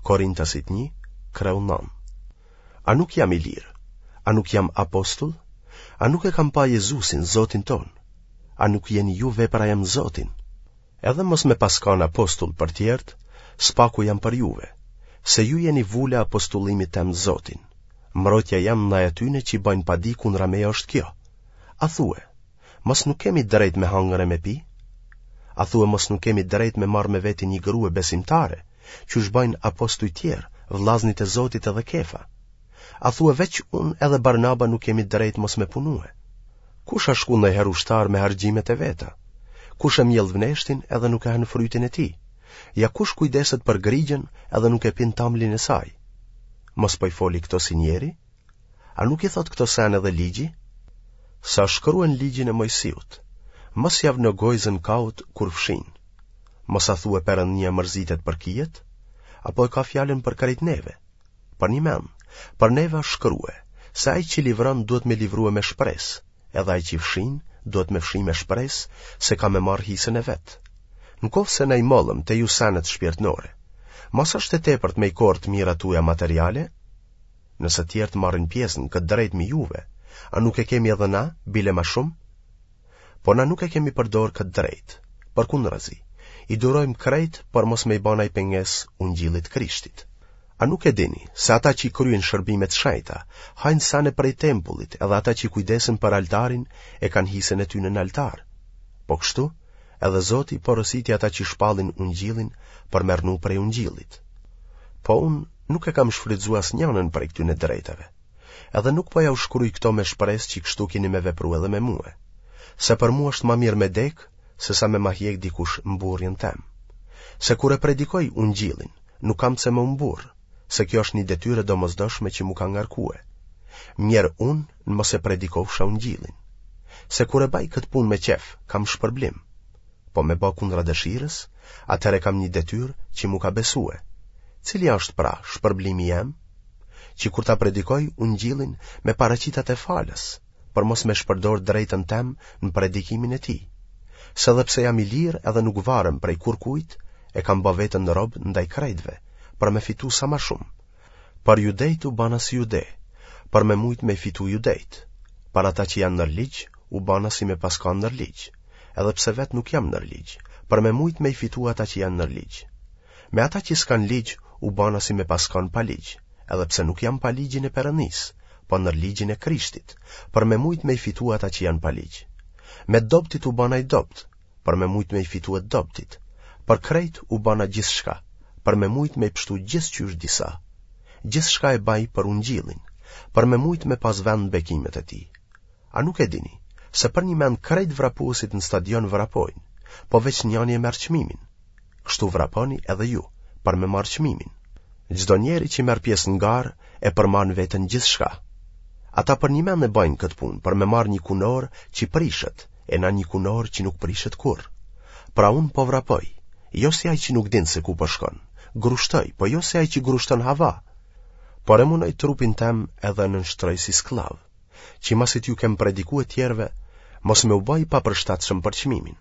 Korintasit 1, kreu 9. A nuk jam i lirë? A nuk jam apostull? A nuk e kam pa Jezusin, Zotin tonë? A nuk jeni ju vepra jem n'Zotin? Edhe mos me pas kanë apostull për tjerët, s'paku jam për juve, se ju jeni vula e apostullimit tem n'Zotin. Mbrojtja jem ndaj atyne që bajnë padi kundra meje është kjo. A thue, mos nuk kemi drejt me hangër e me pi? A thue mos nuk kemi drejt me marrë me veti një grue besimtare, qysh bajnë apostuj tjerë, vllaznit e Zotit edhe Kefa? A thue veç unë edhe Barnaba nuk kemi drejt mos me punue? Kush a shku ndonjëherë ushtar me harxhimet e veta? Kush e mjell vneshtin edhe nuk e han frytin e tij? Ja kush kujdeset për grigjën edhe nuk e pin tamlin e saj? Mos po i foli këto si njeri? A nuk i thotë këto sene edhe ligji? Se shkruen n'ligjin e Mojsiut, mos ja vno gojëzën kaut kur fshin. Mos a thue Perëndia mërzitet për kijet? Apo e ka fjalën për krejt neve? Përnjëmend, për neve është shkrue, se ai që livron duhet me livrue me shpresë, edhe ai që fshin duhet me fshi me shpresë se ka me marrë hisën e vet. Në qoftë se na i mollëm te ju senet shpirtnore, mos është e tepërt me i korrë të mirat tuaja materiale? Nëse tjerët marrin pjesë në këtë drejtë me juve, a nuk e kemi edhe na, bile ma shumë? Po na nuk e kemi përdorë këtë drejtë, përkundrazi, i durojmë krejt për mos me i ba naj pengesë ungjillit Krishtit. A nuk e dini se ata që i kryejnë shërbimet e shenjta, hajnë sene prej tempullit edhe ata që kujdesen për altarin e kanë hisën e tyne në altar? Po kështu, edhe Zoti porositi ata që shpallin ungjillin për me rrnu prej ungjillit. Po unë nuk e kam shfrytëzu asnjanën prej këtyne drejtave. Edhe nuk po jau shkruj këto me shpresë që kështu kini me vepru edhe me mue. Se për mua është ma mirë me dek, se sa me ma hjek dikush mburrjen tem. Se kur e predikoj ungjillin, nuk kam pse me u mburrë, se kjo është një detyrë e domosdoshme që m'u ka ngarkue. Mjerë unë në mos e predikofsha ungjillin. Se kur e baj këtë punë me qef, kam shpërblim. Po me ba kundra dëshirës, atëherë kam një detyrë që m'u ka besue. Cili është pra shpërblimi jem? Që kur ta predikoj ungjillin me paraqit atë falas, për mos me shpërdor drejtën tem në predikimin e tij. Se edhe pse jam i lirë edhe nuk varem prej kurkujt, e kam ba veten rob ndaj krejtve, për me fitu sa ma shumë. Për judejt u bana si jude, për me mujt me fitu judejt. Për ata që janë nër ligj, u bana si me pas kanë nër ligj, edhe pse vetë nuk jam nër ligj, për me mujt me i fitu ata që janë nër ligj. Me ata që s'kanë ligj, u bana si me pas kanë pa ligj, edhe pse nuk jam pa ligjin e Perëndisë, po nër ligjin e Krishtit, për me mujt me i fitu ata që janë pa ligj. Me dobtit u bana i dobt, për me mujt me i fitu të dobtit. Për krejt u bana gjithçka, për me mujt me i pshtu gjithqysh disa. Gjithçka e baj për ungjillin, për me mujt me pas vend në bekimet e tij. A nuk e dini, se përnjëmend krejt vrapuesit në stadion vrapojnë, po veç njani e merr çmimin. Kështu vraponi edhe ju, për me marrë çmimin. Çdo njeri që merr pjesë në garë e përmban në veten gjithçka. Ata përnjëmend e bajnë këtë punë për me marrë një kunorë që prishet, e na një kunorë që nuk prishet kurrë. Pra unë po vrapoj, jo si ai që nuk din se ku po shkon, grushtoj, po jo si ai që grushton hava, por e munoj trupin tem edhe e nënshtroj si skllav, që masi t'ju kem predikue tjerëve, mos me u ba i papërshtatshëm për çmimin.